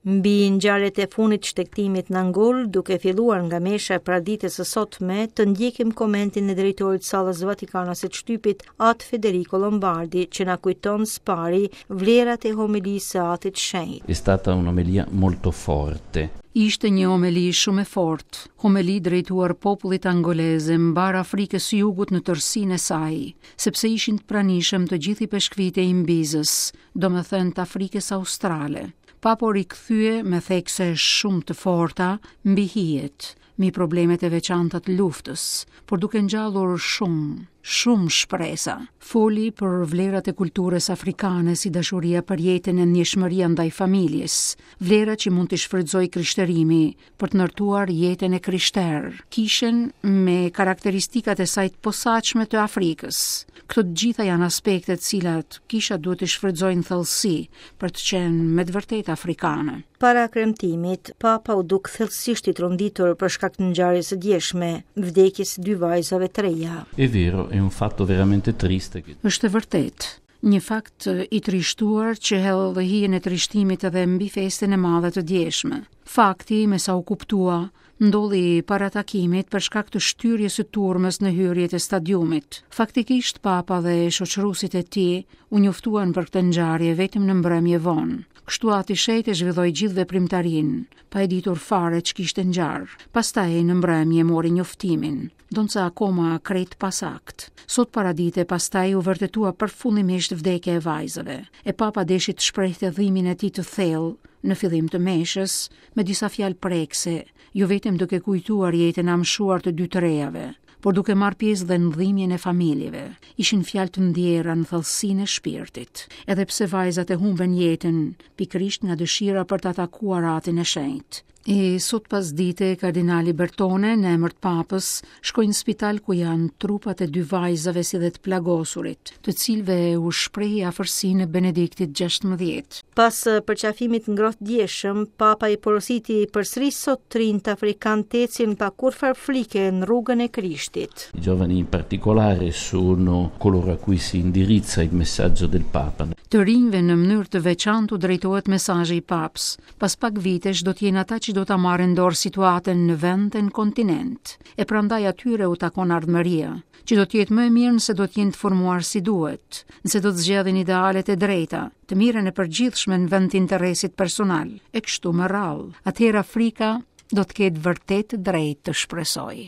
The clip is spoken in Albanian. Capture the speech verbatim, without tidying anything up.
Mbi ngjarjet e fundit shtegtimit në Angol, duke filluar nga mesha e paraditës së sotme, të ndjekim komentin e drejtorit sallës Vatikanase të shtypit, Atë Federico Lombardi, që na kujton s'pari vlerat e homilisë së Atit Shenjt. È stata un'omelia molto forte. Ishte një homeli shumë e fortë, homeli drejtuar popullit angolez e mbarë Afrikës së Jugut në tërësinë e saj, sepse ishin të pranishëm të gjithë ipeshkvit e Imbizës, domethënë të Afrikës Australe. Papa u rikthye me thekse shumë të forta mbi hijet, mbi problemet e veçanta të luftës, por duke ngjallur shumë, shumë shpresa. Foli për vlerat e kulturës afrikane si dashuria për jetën e ndjeshmëria ndaj familjes, vlera që mund të shfrytëzojë krishterimi për të ndërtuar jetën e krishterë, kishën me karakteristikat e saj të posaçme të Afrikës. Këto të gjitha janë aspekte të cilat kisha duhet të shfrytëzojë në thellësi për të qenë me të vërtetë afrikane. Para kremtimit, Papa u duk thellësisht i tronditur për shkak të ngjarjes së djeshme, vdekjes së dy vajzave të reja. È vero, è un fatto veramente triste che Është e vërtetë, një fakt i trishtuar që hedh hijen e trishtimit edhe mbi festën e madhe të djeshme. Fakti, me sa u kuptua, ndodhi para takimit për shkak të shtyrjes së turmës në hyrjet e stadiumit. Faktikisht Papa dhe shoqëruesit e tij u njoftuan për këtë ngjarje vetëm në mbrëmje vonë. Kështu Ati Shenjt e zhvilloi gjithë veprimtarinë, pa e ditur fare ç'kishte ngjarë. Pastaj në mbrëmje mori njoftimin, ndonëse akoma krejt pasakt. Sot paradite pastaj u vërtetua përfundimisht vdekja e vajzave. E Papa deshi të shprehte dhimbjen e tij të thellë në fillim të meshës, me disa fjalë prekse, jo vetëm duke kujtuar jetën e amshuar të dy të rejave, por duke marrë pjesë dhe në dhimbjen e familjeve. Ishin fjalë të ndjera në thellësinë e shpirtit, edhe pse vajzat e humbën jetën pikërisht nga dëshira për ta takuar Atin e Shenjtë. E sot pas dite, kardinali Bertone, në emër të papës, shkoi në spital ku janë trupat e dy vajzave si dhe të plagosurit, të cilëve u shprehi afërsinë e Benediktit gjashtëmbëdhjetë. Pas përqafimit ngrohtë djeshëm, Papa i porositi përsëri sot të rinjtë afrikan të ecin pa kurrfarë frike në rrugën e Krishtit. I giovani in particolare sono coloro a cui si indirizza il messaggio del Papa. Të rinjve në mënyrë të veçantë u drejtohet mesazhi i Papës. Pas pak vitesh do të jenë ata që do ta marrin dorë situatën në vend e në kontinent. E prandaj atyre u takon ardhmëria, që do të jetë më e mirë nëse do të jenë të formuar si duhet, nëse do të zgjedhin idealet e drejta, të mirën e përgjithshme në vend të interesit personal, e kështu me radhë. Atëherë Afrika do të ketë vërtet drejt të shpresojë.